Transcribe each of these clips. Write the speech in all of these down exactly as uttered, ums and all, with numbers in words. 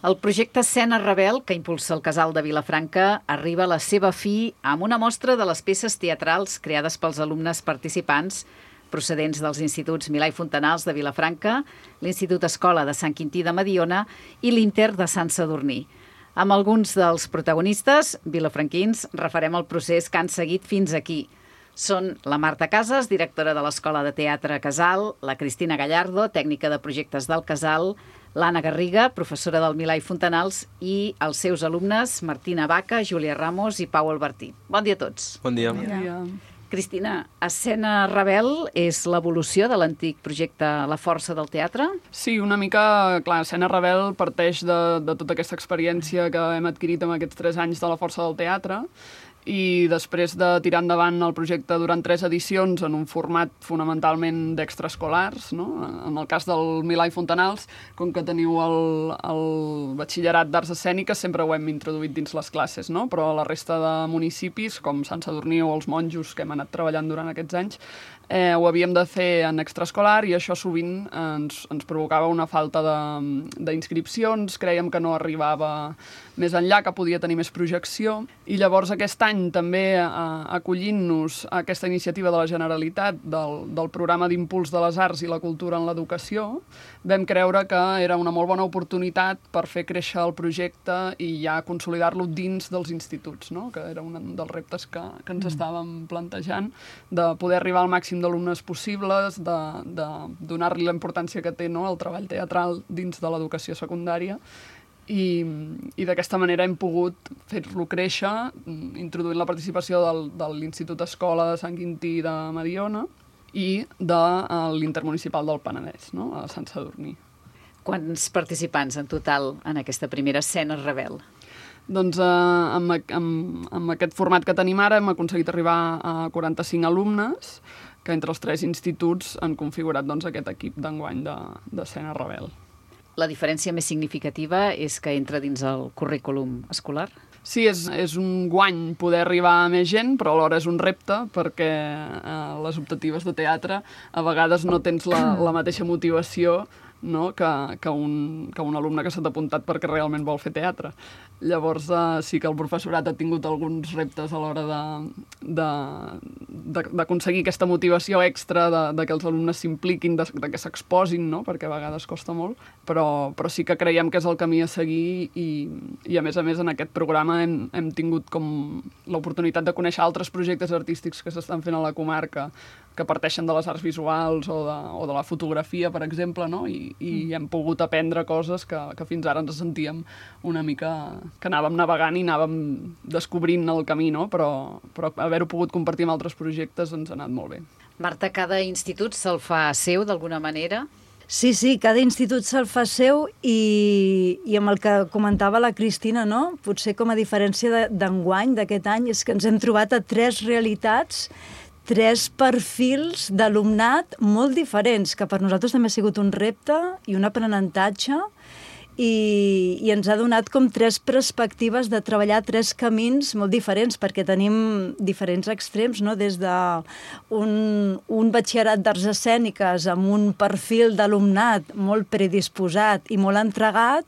El projecte Escena Rebel, que impulsa el Casal de Vilafranca, arriba a la seva fi amb una mostra de les peces teatrals creades pels alumnes participants procedents dels instituts Milà i Fontanals de Vilafranca, l'Institut Escola de Sant Quintí de Mediona i l'Inter de Sant Sadurní. Amb alguns dels protagonistes, vilafranquins, refarem el procés que han seguit fins aquí. Són la Marta Casas, directora de l'Escola de Teatre Casal, la Cristina Gallardo, tècnica de projectes del Casal, l'Anna Garriga, professora del Milà i Fontanals, i els seus alumnes Martina Baca, Júlia Ramos i Pau Albertí. Bon dia a tots. Bon dia. Bon dia. Cristina, Escena Rebel és l'evolució de l'antic projecte La Força del Teatre? Sí, una mica, clar, Escena Rebel parteix de, de tota aquesta experiència que hem adquirit en aquests tres anys de La Força del Teatre, i després de tirar endavant el projecte durant tres edicions en un format fonamentalment d'extraescolars, no? En el cas del Milà i Fontanals, com que teniu el, el batxillerat d'arts escèniques, sempre ho hem introduït dins les classes, no? Però a la resta de municipis, com Sant Sadurní o els monjos que hem anat treballant durant aquests anys, eh, ho havíem de fer en extraescolar i això sovint ens, ens provocava una falta d'inscripcions, creiem que no arribava més enllà, que podia tenir més projecció, i llavors aquest any també eh, acollint-nos a aquesta iniciativa de la Generalitat del, del programa d'impuls de les arts i la cultura en l'educació, vam creure que era una molt bona oportunitat per fer créixer el projecte i ja consolidar-lo dins dels instituts, no? Que era un dels reptes que, que ens estàvem plantejant, de poder arribar al màxim d'alumnes possibles, de, de donar-li la importància que té, no?, el treball teatral dins de l'educació secundària, i, i d'aquesta manera hem pogut fer-lo créixer, introduint la participació del, de l'Institut Escola de Sant Quintí de Mediona i de l'Intermunicipal del Penedès, no?, a Sant Sadurní. Quants participants en total en aquesta primera Escena Rebel? Doncs eh, amb, amb, amb aquest format que tenim ara hem aconseguit arribar a quaranta-cinc alumnes que entre els tres instituts han configurat, doncs, aquest equip d'enguany d'Escena Rebel. La diferència més significativa és que entra dins el currículum escolar? Sí, és, és un guany poder arribar a més gent, però alhora és un repte perquè eh, les optatives de teatre a vegades no tens la, la mateixa motivació, no?, que, que, un, que un alumne que s'ha apuntat perquè realment vol fer teatre. Llavors eh, sí que el professorat ha tingut alguns reptes a l'hora d'aconseguir aquesta motivació extra, de, de que els alumnes s'impliquin, de, de que s'exposin, no?, perquè a vegades costa molt, però, però sí que creiem que és el camí a seguir i, i a més a més en aquest programa hem, hem tingut com l'oportunitat de conèixer altres projectes artístics que s'estan fent a la comarca que parteixen de les arts visuals o de, o de la fotografia, per exemple, no?, i, i hem pogut aprendre coses que, que fins ara ens sentíem una mica que anàvem navegant i anàvem descobrint el camí, no?, però, però haver-ho pogut compartir amb altres projectes ens ha anat molt bé. Marta, cada institut se'l fa seu d'alguna manera? Sí, sí, cada institut se'l fa seu i, i amb el que comentava la Cristina, no?, potser com a diferència d'enguany, d'aquest any, és que ens hem trobat a tres realitats, tres perfils d'alumnat molt diferents, que per nosaltres també ha sigut un repte i un aprenentatge, i, i ens ha donat com tres perspectives de treballar tres camins molt diferents, perquè tenim diferents extrems, no?, des d'un un batxillerat d'arts escèniques amb un perfil d'alumnat molt predisposat i molt entregat,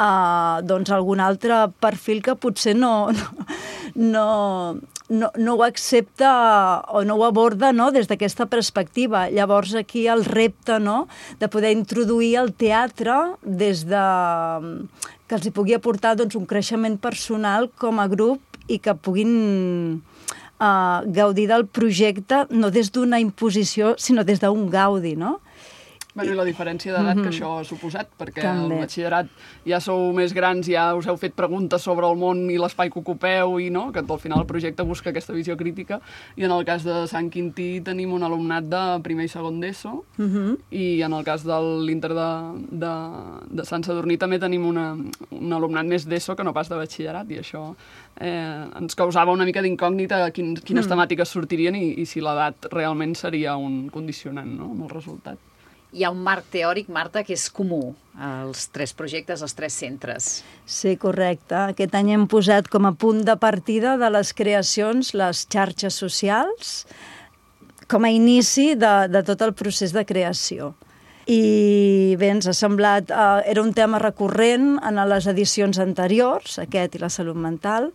a doncs, algun altre perfil que potser no, no, no, no ho accepta o no ho aborda, no?, des d'aquesta perspectiva. Llavors aquí el repte, no?, de poder introduir el teatre des de que els hi pugui aportar, doncs, un creixement personal com a grup i que puguin uh, gaudir del projecte no des d'una imposició, sinó des d'un gaudi, no? Bueno, i la diferència d'edat mm-hmm. que això ha suposat, perquè també. Al batxillerat ja sou més grans, ja us heu fet preguntes sobre el món i l'espai que ocupeu, i no, que al final el projecte busca aquesta visió crítica, i en el cas de Sant Quintí tenim un alumnat de primer i segon d'ESO, mm-hmm. i en el cas de l'Inter de, de, de Sant Sadurní també tenim una, un alumnat més d'ESO que no pas de batxillerat, i això eh, ens causava una mica d'incògnita quin, quines mm. temàtiques sortirien i, i si l'edat realment seria un condicionant, no?, amb el resultat. Hi ha un marc teòric, Marta, que és comú als tres projectes, als tres centres. Sí, correcte. Aquest any hem posat com a punt de partida de les creacions les xarxes socials com a inici de, de tot el procés de creació. I bé, ens ha semblat... Uh, era un tema recurrent en les edicions anteriors, aquest i la salut mental,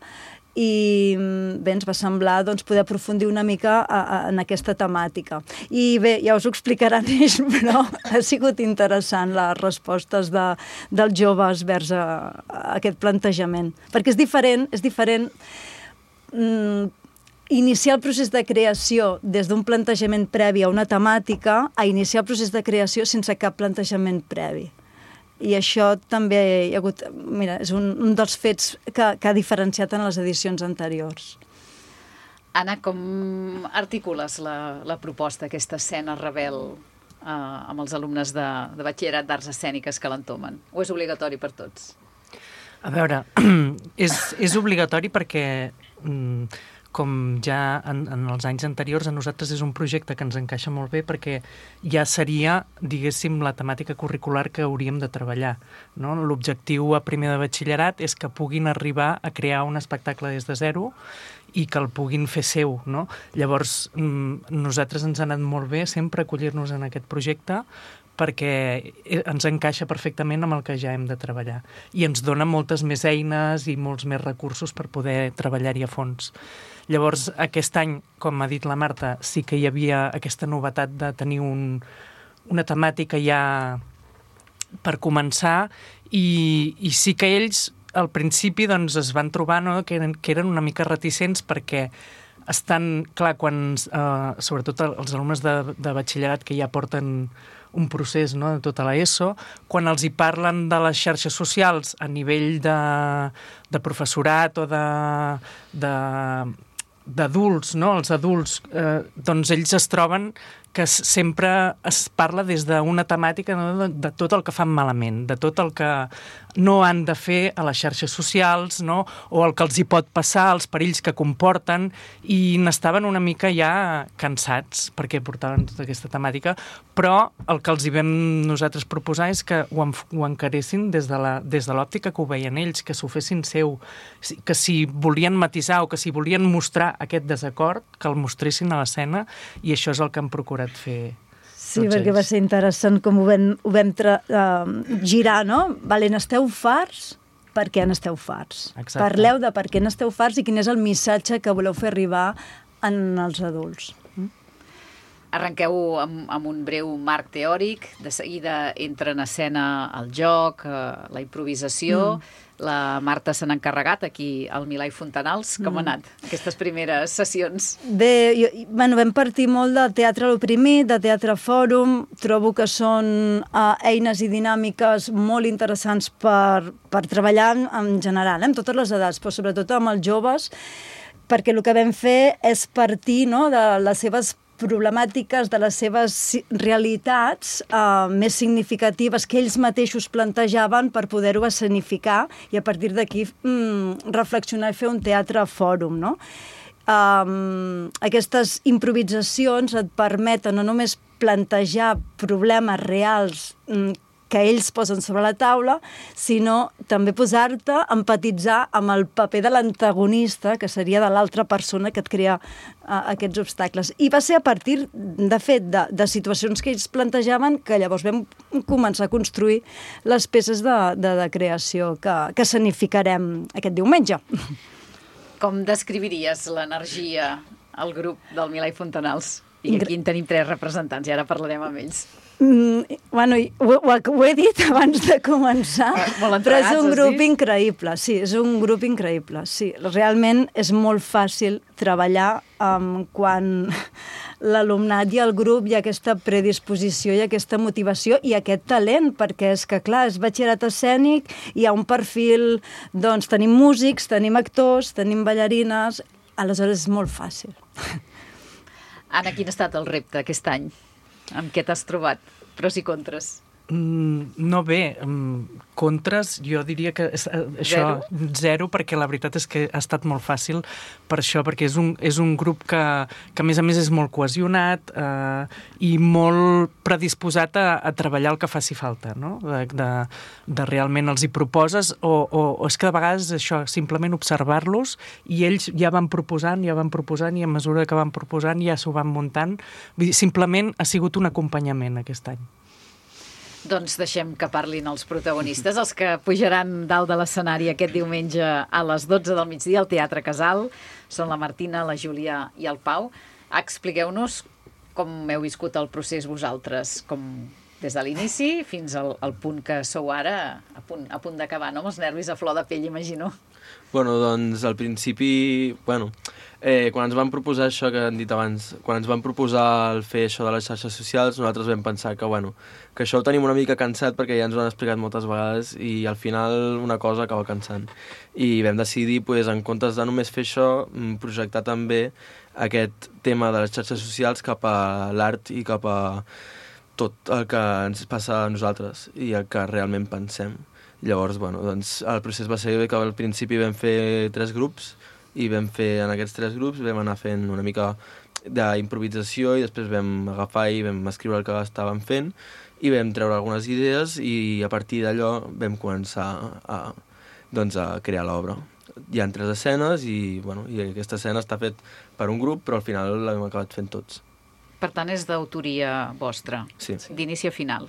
i bé, ens va semblar doncs, poder aprofundir una mica a, a, en aquesta temàtica. I bé, ja us ho explicaran ells, però ha sigut interessant les respostes de, dels joves vers a, a aquest plantejament. Perquè és diferent, és diferent mm, iniciar el procés de creació des d'un plantejament previ a una temàtica a iniciar el procés de creació sense cap plantejament previ. I això també hi ha hagut... Mira, és un, un dels fets que, que ha diferenciat en les edicions anteriors. Anna, com articules la, la proposta, aquesta escena rebel eh, amb els alumnes de, de batxillerat d'arts escèniques que l'entomen? O és obligatori per tots? A veure, és, és obligatori perquè... Mm, com ja en, en els anys anteriors, a nosaltres és un projecte que ens encaixa molt bé perquè ja seria, diguéssim, la temàtica curricular que hauríem de treballar, no? L'objectiu a primer de batxillerat és que puguin arribar a crear un espectacle des de zero i que el puguin fer seu, no? Llavors, nosaltres ens ha anat molt bé sempre acollir-nos en aquest projecte perquè ens encaixa perfectament amb el que ja hem de treballar. I ens dona moltes més eines i molts més recursos per poder treballar-hi a fons. Llavors, aquest any, com ha dit la Marta, sí que hi havia aquesta novetat de tenir un, una temàtica ja per començar i, i sí que ells, al principi, doncs, es van trobar, no?, que, eren, que eren una mica reticents perquè estan, clar, quan, eh, sobretot els alumnes de, de batxillerat que ja porten un procés, no?, de tota l'ESO, quan els hi parlen de les xarxes socials a nivell de, de professorat o de, de, d'adults, no?, els adults, eh, doncs ells es troben que sempre es parla des d'una temàtica, no?, de, de tot el que fan malament, de tot el que no han de fer a les xarxes socials, no?, o el que els hi pot passar, els perills que comporten, i n'estaven una mica ja cansats perquè portaven tota aquesta temàtica, però el que els hi vam nosaltres proposar és que ho, en, ho encaressin des de la, des de l'òptica que ho veien ells, que s'ho fessin seu, que si volien matisar o que si volien mostrar aquest desacord, que el mostressin a l'escena, i això és el que hem procurat fer. Sí, perquè va ser interessant com ho vam, ho vam tra, uh, girar, no? Vale, n'esteu farts? Per què n'esteu farts? Exacte. Parleu de per què n'esteu farts i quin és el missatge que voleu fer arribar en els adults. Mm? Arrenqueu amb, amb un breu marc teòric, de seguida entra en escena el joc, eh, la improvisació... Mm. La Marta se n'ha encarregat aquí al Milà i Fontanals. Com mm. ha anat aquestes primeres sessions? Bé, jo, bueno, vam partir molt de teatre a l'oprimit, de teatre fòrum. Trobo que són uh, eines i dinàmiques molt interessants per, per treballar en general, eh, amb totes les edats, però sobretot amb els joves, perquè el que vam fer és partir, no?, de les seves problemàtiques, de les seves realitats eh, més significatives que ells mateixos plantejaven per poder-ho escenificar i a partir d'aquí mm, reflexionar i fer un teatre fòrum, no? Um, aquestes improvisacions et permeten no només plantejar problemes reals mm, que ells posen sobre la taula, sinó també posar-te, empatitzar amb el paper de l'antagonista, que seria de l'altra persona que et crea uh, aquests obstacles. I va ser a partir, de fet, de, de situacions que ells plantejaven que llavors vam començar a construir les peces de, de, de creació que, que escenificarem aquest diumenge. Com descriviries l'energia al grup del Milà i Fontanals? I aquí en tenim tres representants, i ara parlarem amb ells. Mm, bueno, ho, ho, ho he dit abans de començar, molt però és un grup dit? increïble, sí, és un grup increïble, sí. Realment és molt fàcil treballar um, quan l'alumnat i el grup hi ha aquesta predisposició i aquesta motivació i aquest talent, perquè és que, clar, és batxillerat escènic, hi ha un perfil, doncs tenim músics, tenim actors, tenim ballarines, aleshores és molt fàcil. Anna, quin ha estat el repte aquest any? Amb què t'has trobat? Pros i contres? Mm, no bé, um, contres jo diria que és, uh, això, zero? zero, perquè la veritat és que ha estat molt fàcil per això, perquè és un, és un grup que, que a més a més és molt cohesionat uh, i molt predisposat a, a treballar el que faci falta, no? De, de, de realment els hi proposes o, o, o és que de vegades això, simplement observar-los i ells ja van proposant, ja van proposant i a mesura que van proposant ja s'ho van muntant. Vull dir, simplement ha sigut un acompanyament aquest any. Doncs deixem que parlin els protagonistes, els que pujaran dalt de l'escenari aquest diumenge a les dotze del migdia al Teatre Casal. Són la Martina, la Júlia i el Pau. Expliqueu-nos com heu viscut el procés vosaltres, com des de l'inici fins al, al punt que sou ara, a punt, a punt d'acabar, no? Amb els nervis a flor de pell, imagino. Bueno, doncs al principi, bueno, eh, quan ens van proposar això que han dit abans, quan ens van proposar el fer això de les xarxes socials, nosaltres vam pensar que, bueno, que això ho tenim una mica cansat perquè ja ens ho han explicat moltes vegades i al final una cosa acaba cansant. I vam decidir, pues, en comptes de només fer això, projectar també aquest tema de les xarxes socials cap a l'art i cap a tot el que ens passa a nosaltres i el que realment pensem. Llavors, bueno, doncs el procés va ser que al principi vam fer tres grups i vam fer en aquests tres grups vam anar fent una mica d'improvisació i després vam agafar i vam escriure el que estàvem fent i vam treure algunes idees i a partir d'allò vam començar a, doncs, a crear l'obra. Hi ha tres escenes i, bueno, i aquesta escena està fet per un grup però al final l'hem acabat fent tots. Per tant, és d'autoria vostra, sí. D'inici a final.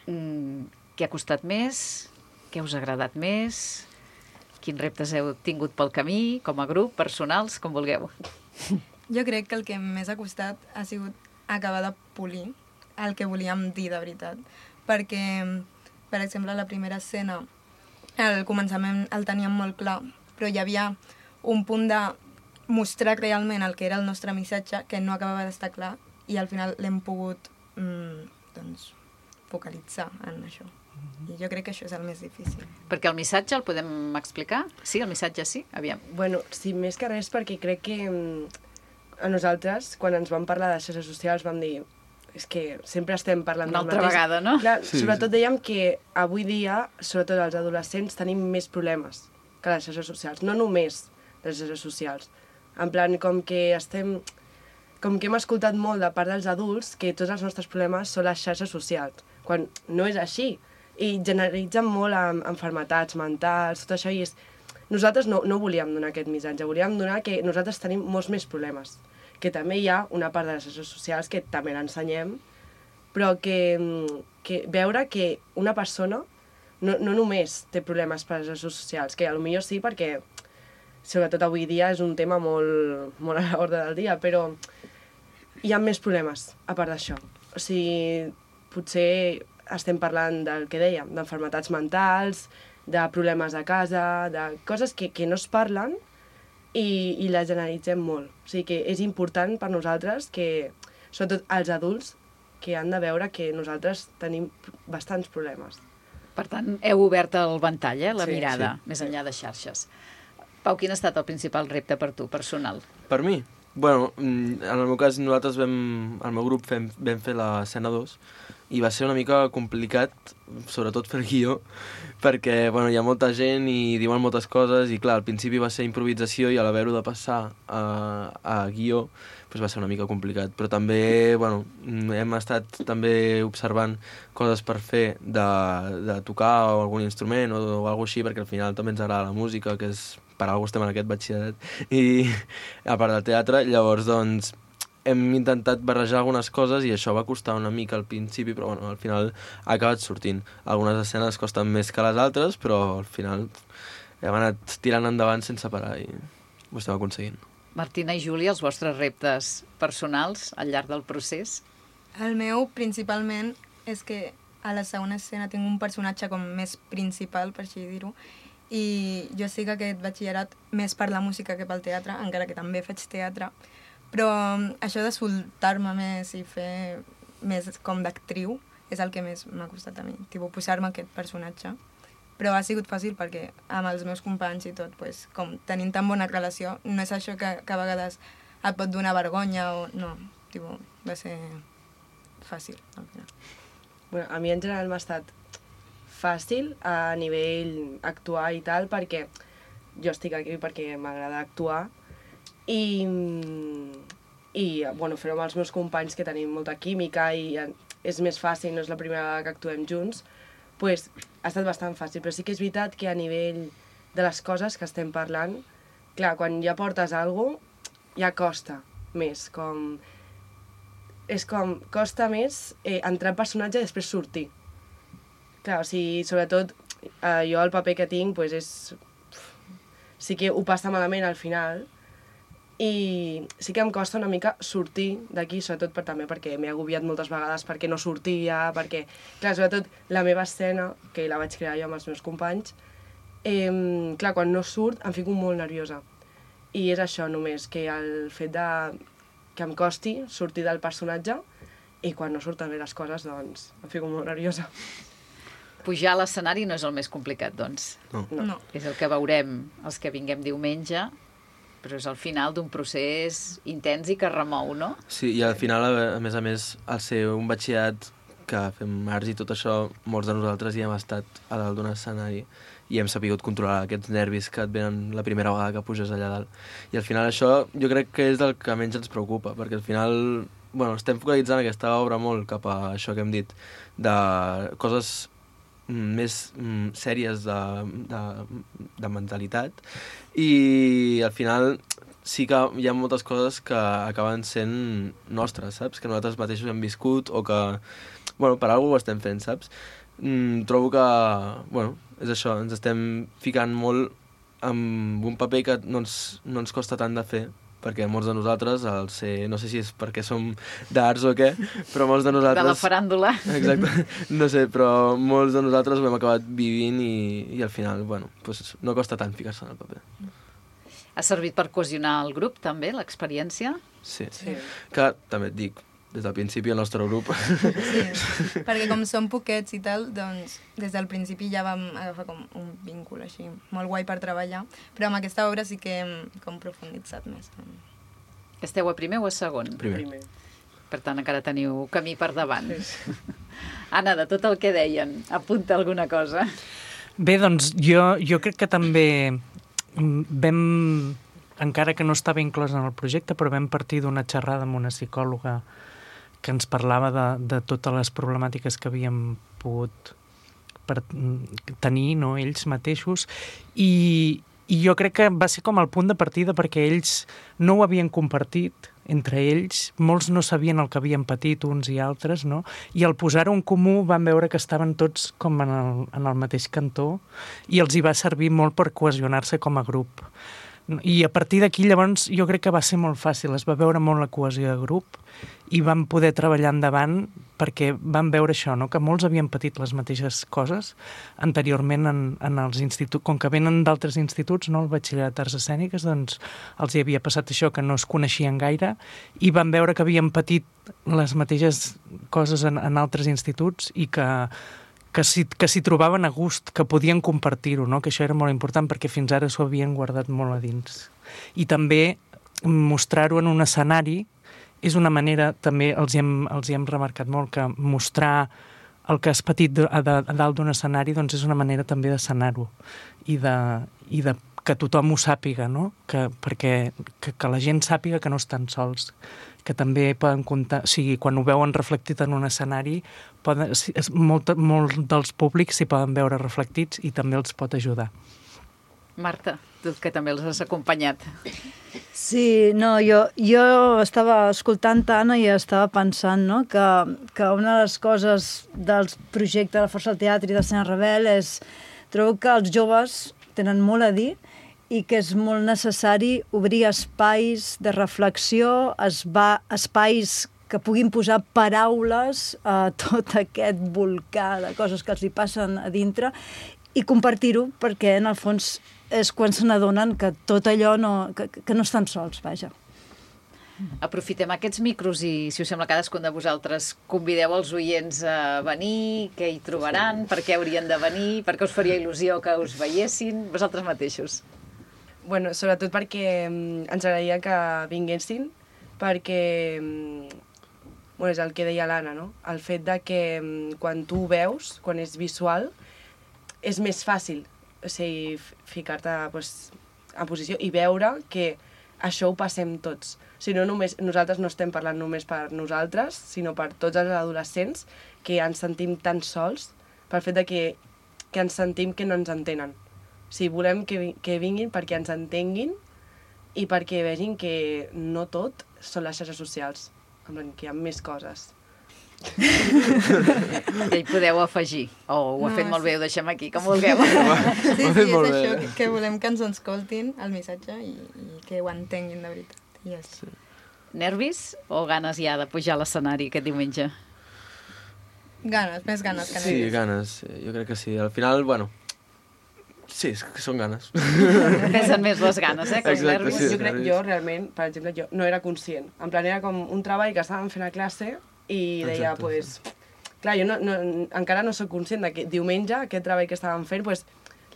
Mm, què ha costat més? Què us ha agradat més? Quins reptes heu tingut pel camí, com a grup, personals, com vulgueu? Jo crec que el que més ha costat ha sigut acabar de polir el que volíem dir de veritat. Perquè, per exemple, la primera escena, al començament el teníem molt clar, però hi havia un punt de mostrar realment el que era el nostre missatge que no acabava d'estar clar i al final l'hem pogut mm, doncs, focalitzar en això. I jo crec que això és el més difícil. Perquè el missatge el podem explicar? Sí, el missatge sí? Aviam. Bueno, sí, més que res perquè crec que a nosaltres, quan ens vam parlar de xarxes socials, vam dir és que sempre estem parlant una del altra mateix. vegada, no? Clar, sí, sobretot sí. dèiem que avui dia, sobretot els adolescents, tenim més problemes que les xarxes socials. No només les xarxes socials. En plan, com que estem... Com que hem escoltat molt de part dels adults que tots els nostres problemes són les xarxes socials, quan no és així. I generalitzen molt amb enfermetats mentals, tot això, i és... Nosaltres no, no volíem donar aquest missatge, volíem donar que nosaltres tenim molts més problemes, que també hi ha una part de les xarxes socials que també l'ensenyem, però que, que veure que una persona no, no només té problemes per les xarxes socials, que potser sí perquè sobretot avui dia és un tema molt, molt a l'ordre del dia, però hi ha més problemes a part d'això. O sigui, potser estem parlant del que dèiem, d'enfermetats mentals, de problemes a casa, de coses que, que no es parlen i, i les generalitzem molt. O sigui que és important per nosaltres que, sobretot els adults, que han de veure que nosaltres tenim bastants problemes. Per tant, heu obert el ventall, eh, la Sí, mirada, sí. més enllà de xarxes. Pau, quin ha estat el principal repte per tu, personal? Per mi? Bueno, en el meu cas nosaltres vam, el meu grup fem, vam fer l'escena dos i va ser una mica complicat, sobretot fer el guió, perquè bueno, hi ha molta gent i diuen moltes coses i clar, al principi va ser improvisació i a l'haver-ho de passar a, a guió doncs va ser una mica complicat, però també bueno, hem estat també observant coses per fer de, de tocar o algun instrument o, o alguna així, perquè al final també ens agrada la música, que és per alguna estem en aquest batxillerat i a part del teatre, llavors doncs hem intentat barrejar algunes coses i això va costar una mica al principi, però bueno, al final ha acabat sortint. Algunes escenes costen més que les altres, però al final hem anat tirant endavant sense parar i ho estem aconseguint. Martina i Júlia, els vostres reptes personals al llarg del procés? El meu, principalment, és que a la segona escena tinc un personatge com més principal, per així dir-ho, i jo estic aquest batxillerat més per la música que pel teatre, encara que també faig teatre, però això de soltar-me més i fer més com d'actriu és el que més m'ha costat a mi, tipus posar-me aquest personatge. Però ha sigut fàcil perquè amb els meus companys i tot, pues, com tenint tan bona relació, no és això que, que a vegades et pot donar vergonya o no, tipus, va ser fàcil al final. Bueno, a mi en general m'ha estat fàcil a nivell actuar i tal, perquè jo estic aquí perquè m'agrada actuar i, i bueno, fer-ho amb els meus companys que tenim molta química i és més fàcil, no és la primera vegada que actuem junts, pues, ha estat bastant fàcil, però sí que és veritat que a nivell de les coses que estem parlant, clar, quan ja portes alguna cosa, ja costa més, com és com, costa més eh, entrar al personatge i després sortir. Clar, o sigui, sobretot, eh, jo el paper que tinc, pues, és... sí que ho passa malament al final, i sí que em costa una mica sortir d'aquí, sobretot per, també perquè m'he agobiat moltes vegades perquè no sortia, perquè, clar, sobretot la meva escena, que la vaig crear jo amb els meus companys, eh, clar, quan no surt em fico molt nerviosa. I és això només, que el fet de que em costi sortir del personatge i quan no surten bé les coses, doncs em fico molt nerviosa. Pujar a l'escenari no és el més complicat, doncs. No. No. És el que veurem els que vinguem diumenge, però és al final d'un procés intens i que remou, no? Sí, i al final, a més a més, al ser un batxillerat que fem arts i tot això, molts de nosaltres hi hem estat a dalt d'un escenari i hem sabut controlar aquests nervis que et venen la primera vegada que puges allà dalt. I al final això jo crec que és el que menys ens preocupa, perquè al final, bueno, estem focalitzant aquesta obra molt cap a això que hem dit, de coses més mm, sèries de, de, de mentalitat, i al final sí que hi ha moltes coses que acaben sent nostres, saps? Que nosaltres mateixos hem viscut o que, bueno, per alguna cosa ho estem fent, saps? Mm, trobo que, bueno, és això, ens estem ficant molt amb un paper que no ens, no ens costa tant de fer, perquè molts de nosaltres, el ser, no sé si és perquè som d'arts o què, però molts de nosaltres... De la faràndula. Exacte, no sé, però molts de nosaltres ho hem acabat vivint i, i al final, bueno, pues no costa tant ficar-se en el paper. Ha servit per cohesionar el grup, també, l'experiència? Sí. Sí. Que, també et dic, des del principi el nostre grup... Sí, perquè com som poquets i tal, doncs des del principi ja vam agafar com un vincul així, molt guai per treballar, però amb aquesta obra sí que hem com profunditzat més. Esteu a primer o a segon? Primer. Primer. Per tant, encara teniu camí per davant. Anna, de tot el que deien, apunta alguna cosa. Bé, doncs jo, jo crec que també vam, encara que no estava inclòs en el projecte, però vam partir d'una xerrada amb una psicòloga que ens parlava de, de totes les problemàtiques que havíem pogut per, tenir, no, ells mateixos, i, i jo crec que va ser com el punt de partida perquè ells no ho havien compartit entre ells, molts no sabien el que havien patit uns i altres, no? I al posar-ho en comú van veure que estaven tots com en el, en el mateix cantó i els hi va servir molt per cohesionar-se com a grup. I a partir d'aquí, llavors, jo crec que va ser molt fàcil, es va veure molt la cohesió de grup i vam poder treballar endavant perquè vam veure això, no? Que molts havien patit les mateixes coses anteriorment en, en els instituts, com que venen d'altres instituts, no? El batxillerat d'arts escèniques, doncs els hi havia passat això, que no es coneixien gaire, i vam veure que havien patit les mateixes coses en, en altres instituts i que que s'hi que s'hi trobaven a gust, que podien compartir-ho, no? Que això era molt important perquè fins ara s'ho havien guardat molt a dins. I també mostrar-ho en un escenari és una manera, també els hi hem, els hi hem remarcat molt, que mostrar el que has patit de, a, de, a dalt d'un escenari doncs és una manera també de sanar-ho i de, i de que tothom ho sàpiga, no? Que, perquè que, que la gent sàpiga que no estan sols, que també poden comptar, o sigui, quan ho veuen reflectit en un escenari, poden, molt, molt dels públics s'hi poden veure reflectits i també els pot ajudar. Marta, tu que també els has acompanyat. Sí, no, jo, jo estava escoltant Anna i estava pensant, no?, que, que una de les coses del projecte de la Força del Teatre i d'Escena Rebel és, trobo que els joves tenen molt a dir i que és molt necessari obrir espais de reflexió, es va, espais que puguin posar paraules a tot aquest volcà de coses que els hi passen a dintre i compartir-ho, perquè en el fons és quan se n'adonen que tot allò no, que, que no estan sols, vaja. Aprofitem aquests micros i, si us sembla, cadascun de vosaltres convideu els oients a venir, què hi trobaran, per què haurien de venir, per què us faria il·lusió que us veiessin, vosaltres mateixos. Bueno, sobretot perquè mm, ens agradaria que vinguessin, perquè mm, bueno, és el que deia l'Anna, no? El fet de que mm, quan tu ho veus, quan és visual, és més fàcil, o sigui, ficar-te pues, en posició i veure que això ho passem tots. O sigui, no només, nosaltres no estem parlant només per nosaltres, sinó per tots els adolescents que ens sentim tan sols pel fet de que, que ens sentim que no ens entenen. O sigui, volem que, que vinguin perquè ens entenguin i perquè vegin que no tot són les xarxes socials. en plan, que hi ha més coses. I hi podeu afegir. O oh, ho ha No, fet molt sí. bé, ho deixem aquí, com vulgueu. Sí, Ho ha sí, fet és molt bé. això, que, que volem que ens escoltin el missatge i, i que ho entenguin de veritat. I ja està. Nervis o ganes ja de pujar a l'escenari aquest diumenge? Ganes, més ganes que Sí, nervis. ganes, jo crec que sí. Al final, bueno, sí, és que són ganes. Pesen més les ganes, eh, que els Exacte, nervis. sí. Jo, crec, jo realment, per exemple, jo no era conscient. En plan, era com un treball que estàvem fent a classe i deia, Exacte, pues, clar, jo no, no, encara no sóc conscient de que diumenge aquest treball que estàvem fent, pues,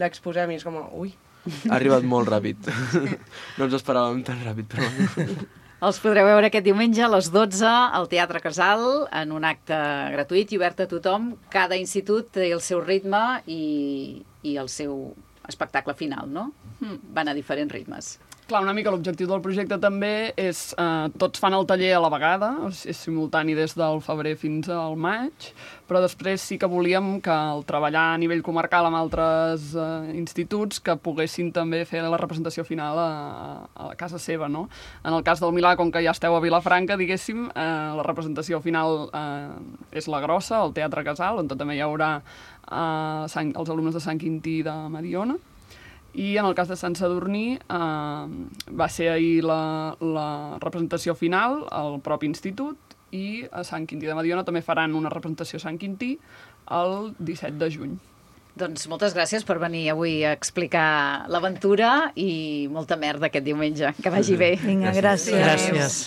l'exposem i és com, ui. Ha arribat molt ràpid. No ens esperàvem tan ràpid, però... Els podreu veure aquest diumenge a les dotze al Teatre Casal en un acte gratuït i obert a tothom. Cada institut té el seu ritme i, i el seu espectacle final, no? Van a diferents ritmes. Clar, una mica l'objectiu del projecte també és... Eh, tots fan el taller a la vegada, és simultani des del febrer fins al maig, però després sí que volíem que el treballar a nivell comarcal amb altres eh, instituts que poguessin també fer la representació final a, a casa seva, no? En el cas del Milà, com que ja esteu a Vilafranca, diguéssim, eh, la representació final eh, és la grossa, al Teatre Casal, on també hi haurà eh, Sant, els alumnes de Sant Quintí de Mediona. I en el cas de Sant Sadurní eh, va ser ahir la, la representació final al propi institut i a Sant Quintí de Mediona també faran una representació a Sant Quintí el disset de juny. Doncs moltes gràcies per venir avui a explicar l'aventura i molta merda aquest diumenge. Que vagi bé. Vinga, gràcies. Gràcies.